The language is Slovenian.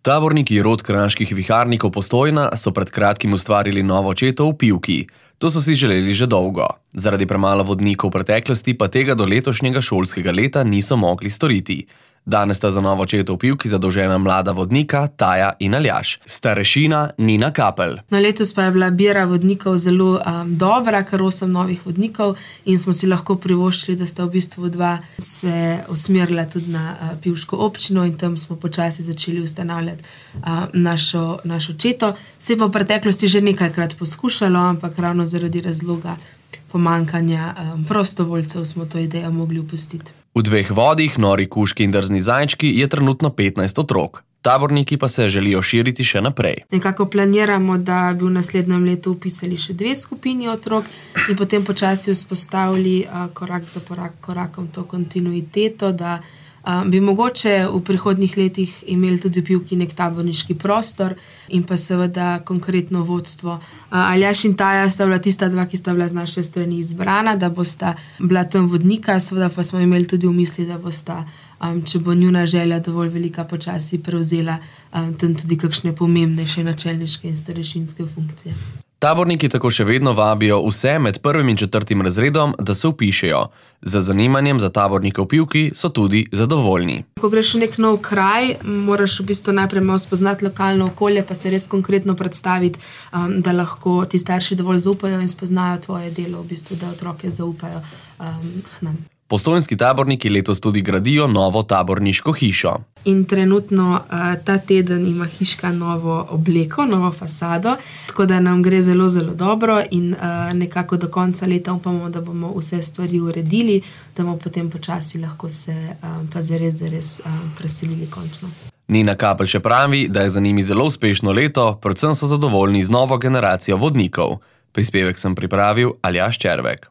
Taborniki rod kraških viharnikov Postojna so pred kratkim ustvarili novo četo v Pivki. To so si želeli že dolgo. Zaradi premalo vodnikov v preteklosti pa tega do letošnjega šolskega leta niso mogli storiti. Danes sta za novo četo v Pivki zadolžena mlada vodnika Taja in Aljaž, starešina Nina Kapelj. Letos pa je bila bira vodnikov zelo dobra, kar 8 novih vodnikov, in smo si lahko privoščili, da sta v bistvu 2 se usmerila tudi na pivško občino in tam smo počasi začeli ustanavljati našo četo. Se pa v preteklosti že nekajkrat poskušalo, ampak ravno zaradi razloga pomankanja prostovoljcev smo to idejo mogli opustiti. V 2 vodih, Nori kužki in drzni zajčki, je trenutno 15 otrok. Taborniki pa se želijo širiti še naprej. Nekako planiramo, da bi v naslednjem letu vpisali še 2 skupini otrok in potem počasi vzpostavili korak za korakom to kontinuiteto, da bi mogoče v prihodnjih letih imeli tudi v Pivki nek taborniški prostor in pa seveda konkretno vodstvo. Aljaž in Taja sta bila tista 2, ki sta bila z naše strani izbrana, da bosta bila tam vodnika, seveda pa smo imeli tudi v misli, da bosta, če bo njuna želja dovolj velika, počasi prevzela tam tudi kakšne pomembnejše načelniške in starešinske funkcije. Taborniki tako še vedno vabijo vse med 1. in 4. razredom, da se vpišejo. Z zanimanjem za tabornike v Pivki so tudi zadovoljni. Ko greš v nek nov kraj, moraš v bistvu najprej malo spoznati lokalno okolje, pa se res konkretno predstaviti, da lahko ti starši dovolj zaupajo in spoznajo tvoje delo, v bistvu, da otroke zaupajo nam. Postojnski taborniki letos tudi gradijo novo taborniško hišo. In trenutno ta teden ima hiška novo obleko, novo fasado, tako da nam gre zelo, zelo dobro in nekako do konca leta upamo, da bomo vse stvari uredili, da bomo potem počasi lahko se pa zares preselili končno. Nina Kapelj še pravi, da je za njimi zelo uspešno leto, predvsem so zadovoljni z novo generacijo vodnikov. Prispevek sem pripravil Aljaž Červek.